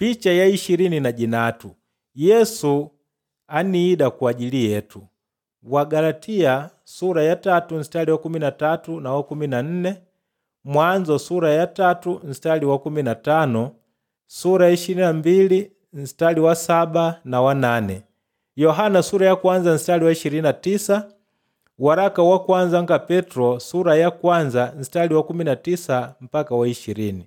Picha ya 23 Yesu aniida kwa ajili yetu. Wagalatia sura ya 3 mstari wa 13 na wa 14, Mwanzo sura ya 3 mstari wa 15, sura ya 22 mstari wa 7 na wa 8, Yohana sura ya kwanza mstari wa 29, waraka wa kwanza nga Petro sura ya kwanza mstari wa 19 mpaka wa 20.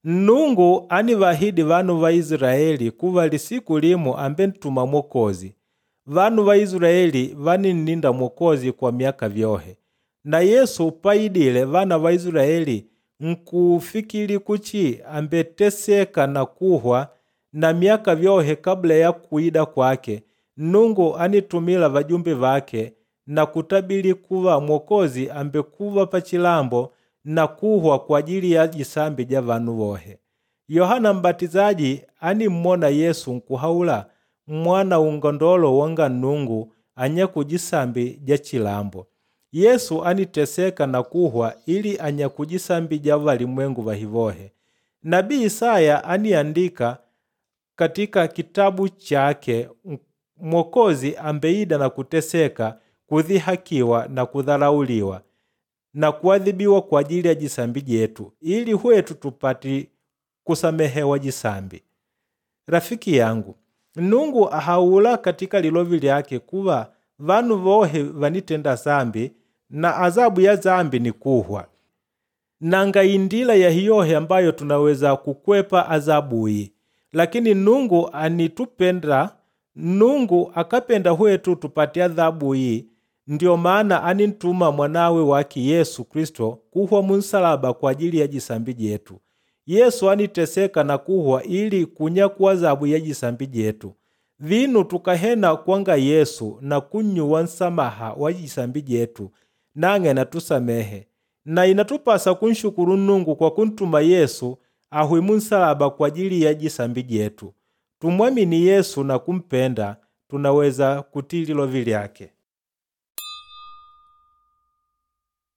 Nnungu anivahidi vanu va Israeli kuva lisiku limu ambe ntuma Mwokozi. Vanu va Israeli vaninninda Mwokozi kwa myaka vyohe. Na Yesu paidile vana va Israeli nkufikili kuchi ambeteseka na kuhwa na myaka vyohe kabla ya kuida kwake. Nnungu anitumila vajumbe vake na kutabili kuva Mwokozi ambekuva pachilambo na kuhwa kwa ajili ya jisambi ja vanu vohe. Yohana Mbatizaji animmona Yesu nkuhaula mwana ungondolo wanga Nnungu anyakujisambi ja chilambo. Yesu aniteseka na kuhwa ili anyakujisambi ja valimwengu vahivohe. Nabii Isaya aniandika katika kitabu chake Mwokozi ambeida na kuteseka, kudhihakiwa na kudharauliwa na kuadhibiwa kwa ajili ya jisambi jetu ili hwetu tupati kusamehewa jisambi. Rafiki yangu, Nnungu ahaula katika lilovi lyake kuva vanu vohe vanitenda zambi na azabu ya zambi ni kuhwa. Nanga indila ya hiyohe ambayo tunaweza kukwepa azabu iyi. Lakini Nnungu anitupenda, Nnungu akapenda hwetu tupate adhabu iyi, ndiyo maana anintuma mwanawe wake Yesu Kristo kuhwa munsalaba kwa ajili ya jisambi jetu. Yesu aniteseka na kuhwa ili kunyakuwa adhabu ya jisambi jetu. Vinu tukahena kwanga Yesu na kunyuwa nsamaha wa jisambi jetu, nang'e natusamehe. Na inatupasa kunshukuru Nnungu kwa kuntuma Yesu ahwi munsalaba kwa ajili ya jisambi jetu. Tumwamini Yesu na kumpenda, tunaweza kutii lilovi lyake.